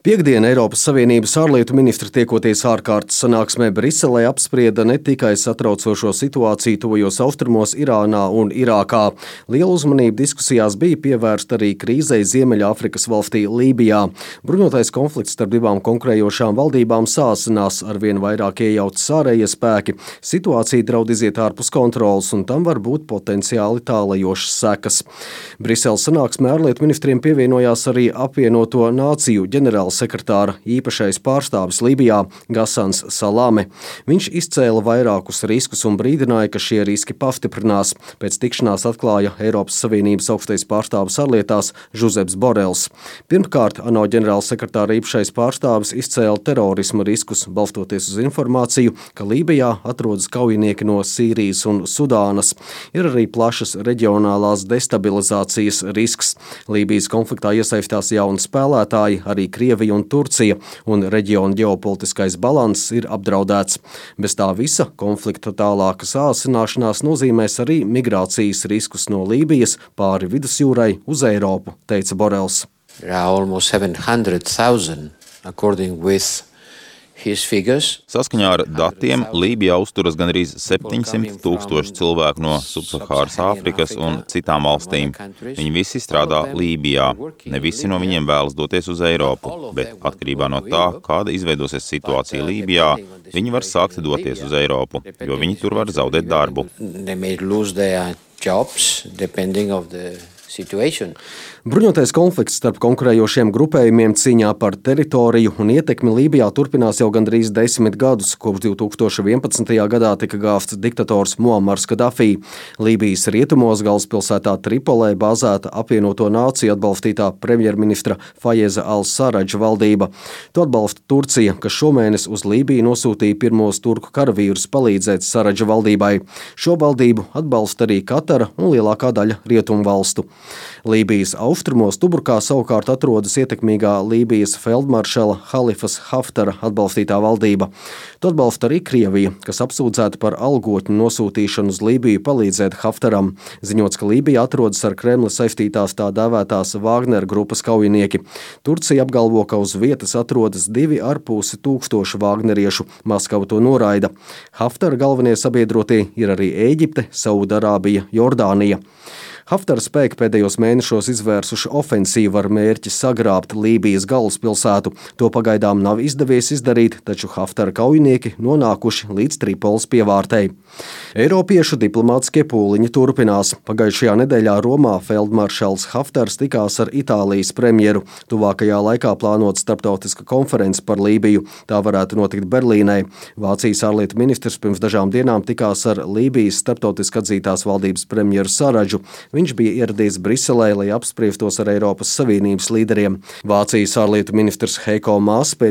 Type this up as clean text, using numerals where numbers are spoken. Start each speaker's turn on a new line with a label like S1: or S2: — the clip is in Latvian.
S1: Piektdien Eiropas Savienības ārlietu ministri tiekoties ārkārtas sanāksmē Briselē apsprieda ne tikai satraucošo situāciju tuvajos austrumos Irānā un Irākā. Liela uzmanība diskusijās bija pievērsta arī krīzei Ziemeļāfrikas valstī Lībijā. Bruņotais konflikts starp divām konkurējošām valdībām sāsinās, arvien vairāk iejaucas ārējie spēki. Situācija draud iziet ārpus kontrolas, un tam var būt potenciāli tālajošas sekas. Briseles sanāksmē ārlietu ministriem pievienojās arī apvienoto nāciju ģenerālsekretāra īpašais pārstāvis Lībijā Gasans Salame. Viņš izcēla vairākus riskus un brīdināja, ka šie riski pastiprinās. Pēc tikšanās atklāja Eiropas Savienības augstais pārstāvis ārlietās Žuzeps Borels. Pirmkārt, ANO ģenerālsekretāra īpašais pārstāvis izcēla terorisma riskus, balstoties uz informāciju, ka Lībijā atrodas kaujinieki no Sīrijas un Sudānas. Ir arī plašas reģionālās destabilizācijas risks. Lībijas konfliktā iesaistās jauni spēlētāji, arī Krievija un Turcija, un reģiona ģeopolitiskais balanss ir apdraudēts. Bez tā visa konflikta tālāka sāsināšanās nozīmēs arī migrācijas riskus no Lībijas pāri vidusjūrai uz Eiropu, teica Borels.
S2: There are almost 700,000 according with his figures.
S3: Saskaņā ar datiem Lībijā uzturas gandrīz 700,000 cilvēku no Subsahāras Āfrikas un citām valstīm. Viņi visi strādā Lībijā. Ne visi no viņiem vēlas doties uz Eiropu, bet atkarībā no tā, kāda izveidosies situācija Lībijā, viņi var sākt doties uz Eiropu, jo viņi tur var zaudēt darbu.
S1: Bruņotais konflikts starp konkurējošiem grupējumiem cīņā par teritoriju un ietekmi Lībijā turpinās jau gandrīz 10 gadus, kopš 2011. gadā tika gāzts diktators Muamars Kadafī. Lībijas rietumos galvaspilsētā Tripolē bāzēta apvienoto nāciju atbalstītā premjerministra Fajeza al-Saradža valdība. To atbalsta Turcija, kas šomēnes uz Lībiju nosūtīja pirmos turku karavīrus palīdzēt Saradža valdībai. Šo valdību atbalsta arī Katara un lielākā daļa rietumu valstu. Lībijas austrumos Tubrukā savukārt atrodas ietekmīgā Lībijas feldmaršala Halifas Haftara atbalstītā valdība. To atbalsta arī Krievija, kas apsūdzēta par algotņu nosūtīšanu uz Lībiju palīdzēt Haftaram. Ziņots, ka Lībija atrodas ar Kremli saistītās tā dēvētās Wagner grupas kaujinieki. Turcija apgalvo, ka uz vietas atrodas 2,5 vagneriešu. Maskava to noraida. Haftara galvenie sabiedrotie ir arī Ēģipte, Saudarābija, Jordānija. Haftara spēki pēdējos mēnešos izvērsuši ofensīvu ar mērķi sagrābt Lībijas galvaspilsētu. To pagaidām nav izdevies izdarīt, taču Haftara kaujinieki nonākuši līdz Tripoles pievārtei. Eiropiešu diplomātiskie pūliņi turpinās. Pagājušajā nedēļā Romā feldmaršals Haftars tikās ar Itālijas premjeru. Tuvākajā laikā plānota starptautiska konference par Lībiju. Tā varētu notikt Berlīnē. Vācijas ārlietu ministrs pirms dažām dienām tikās ar Lībijas starptautiski atzītās valdības premjeru Saradžu. Viņš bija ieradies Briselē, lai apspriestos ar Eiropas Savienības līderiem. Vācijas ārlietu ministrs Heiko Maas pēc